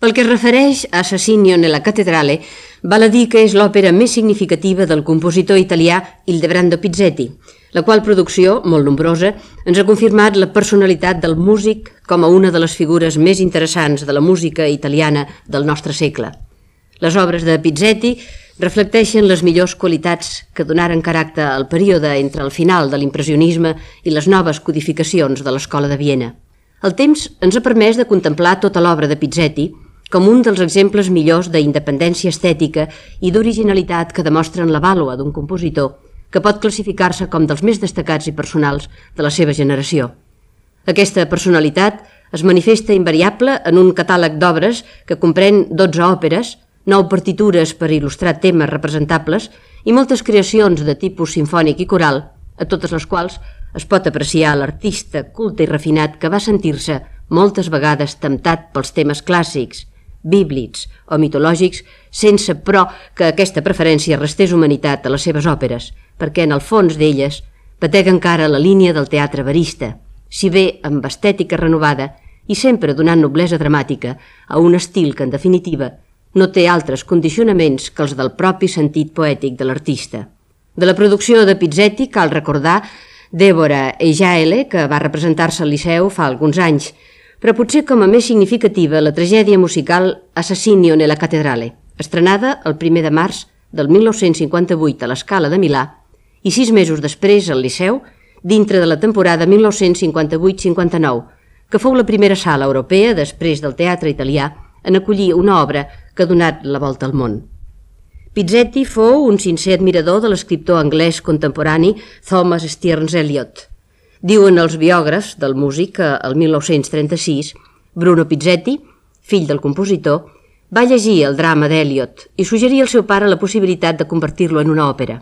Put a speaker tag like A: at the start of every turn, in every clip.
A: Pel que es refereix a Assassinio nella Cattedrale, val a dir que és l'òpera més significativa del compositor italià Ildebrando Pizzetti, la qual producció, molt nombrosa, ens ha confirmat la personalitat del músic com a una de les figures més interessants de la música italiana del nostre segle. Les obres de Pizzetti reflecteixen les millors qualitats que donaren caràcter al període entre el final de l'impressionisme i les noves codificacions de l'Escola de Viena. El temps ens ha permès de contemplar tota l'obra de Pizzetti com un dels exemples millors d'independència estètica i d'originalitat que demostren la vàlua d'un compositor que pot classificar-se com dels més destacats i personals de la seva generació. Aquesta personalitat es manifesta invariable en un catàleg d'obres que comprèn 12 òperes, 9 partitures per il·lustrar temes representables i moltes creacions de tipus simfònic i coral, a totes les quals es pot apreciar l'artista culte i refinat que va sentir-se moltes vegades temptat pels temes clàssics, bíblics o mitològics, sense, però, que aquesta preferència restés humanitat a les seves òperes, perquè en el fons d'elles batega encara la línia del teatre verista, si bé amb estètica renovada i sempre donant noblesa dramàtica a un estil que, en definitiva, no té altres condicionaments que els del propi sentit poètic de l'artista. De la producció de Pizzetti cal recordar Dèbora e Jaele, que va representar-se al Liceu fa alguns anys, però potser com a més significativa la tragèdia musical Assassinio nella Cattedrale, estrenada el 1 de març del 1958 a l'Escala de Milà i 6 mesos després al Liceu, dintre de la temporada 1958-59, que fou la primera sala europea, després del teatre italià, en acollir una obra que ha donat la volta al món. Pizzetti fou un sincer admirador de l'escriptor anglès contemporani Thomas Stearns Eliot. Diuen els biògrafs del músic que el 1936 Bruno Pizzetti, fill del compositor, va llegir el drama d'Eliot i suggerir al seu pare la possibilitat de convertir-lo en una òpera.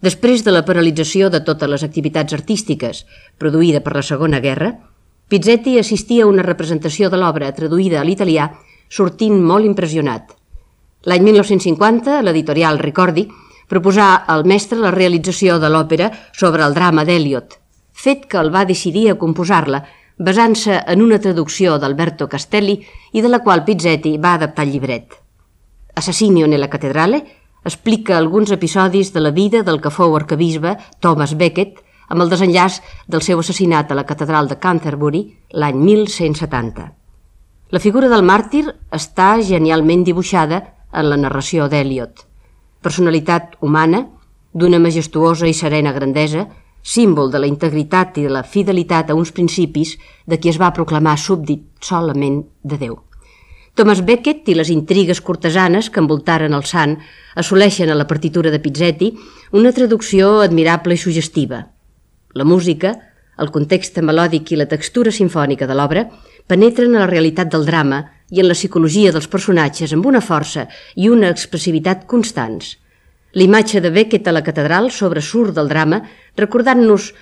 A: Després de la paralització de totes les activitats artístiques produïda per la Segona Guerra, Pizzetti assistia a una representació de l'obra traduïda a l'italià sortint molt impressionat. L'any 1950, l'editorial Ricordi proposà al mestre la realització de l'òpera sobre el drama d'Eliot, fet que el va decidir a composar-la basant-se en una traducció d'Alberto Castelli i de la qual Pizzetti va adaptar el llibret. Assassinio nella Cattedrale explica alguns episodis de la vida del que fou arquebisbe Thomas Becket amb el desenllaç del seu assassinat a la catedral de Canterbury l'any 1170. La figura del màrtir està genialment dibuixada en la narració d'Eliot. Personalitat humana, d'una majestuosa i serena grandesa, símbol de la integritat i de la fidelitat a uns principis de qui es va proclamar súbdit solament de Déu. Thomas Becket i les intrigues cortesanes que envoltaren el sant assoleixen a la partitura de Pizzetti una traducció admirable i suggestiva. La música, el context melòdic i la textura simfònica de l'obra penetren a la realitat del drama i en la psicologia dels personatges amb una força i una expressivitat constants. L'imatge de Becket a la catedral sobresurt del drama recordant-nos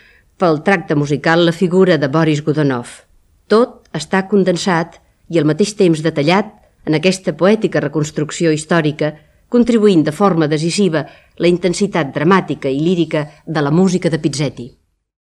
A: pel tracte musical la figura de Boris Godunov. Tot està condensat i al mateix temps detallat en aquesta poètica reconstrucció històrica, contribuint de forma decisiva la intensitat dramàtica i lírica de la música de Pizzetti.